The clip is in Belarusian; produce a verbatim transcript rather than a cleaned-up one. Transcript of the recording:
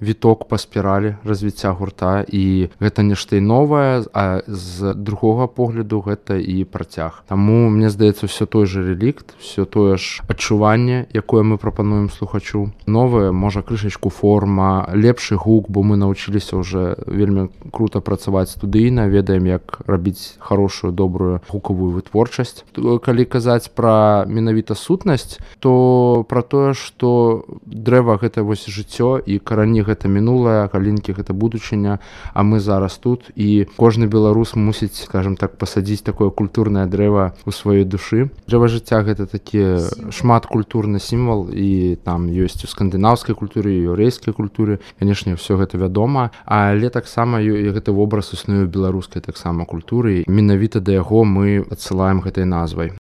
віток па спіралі развіцця гурта, і гэта нешта і новае, а з другога погляду гэта і працяг. Таму мне здаецца, все той же релікт, все тое ж адчуванне, якое мы прапануем слухачу. Новае, можа крышачку форма, лепшы гук, бо мы навучыліся ўжо вельмі крута працаваць студыйна, ведаем, як рабіць хорошую, добрую гукавую вытворчасць. Калі казаць пра менавіта сутнасць, то пра тое, што дрэва гэта вось жыццё, і карані гэта мінулае, галінкі гэта будучыня, а мы зараз тут, і кожны беларус мусіць, скажем так, пасадзіць такое культурнае дрэва ў сваёй душы. Дрэва жыцця гэта такі шматкультурны сімвал, і там ёсць у скандынаўскай культуры, і еўрэйскай культуры, канешне, все гэта вядома, але таксама гэты вобраз існуе ў беларускай таксама культуры, менавіта да яго мы адсылаем гэтай назвай.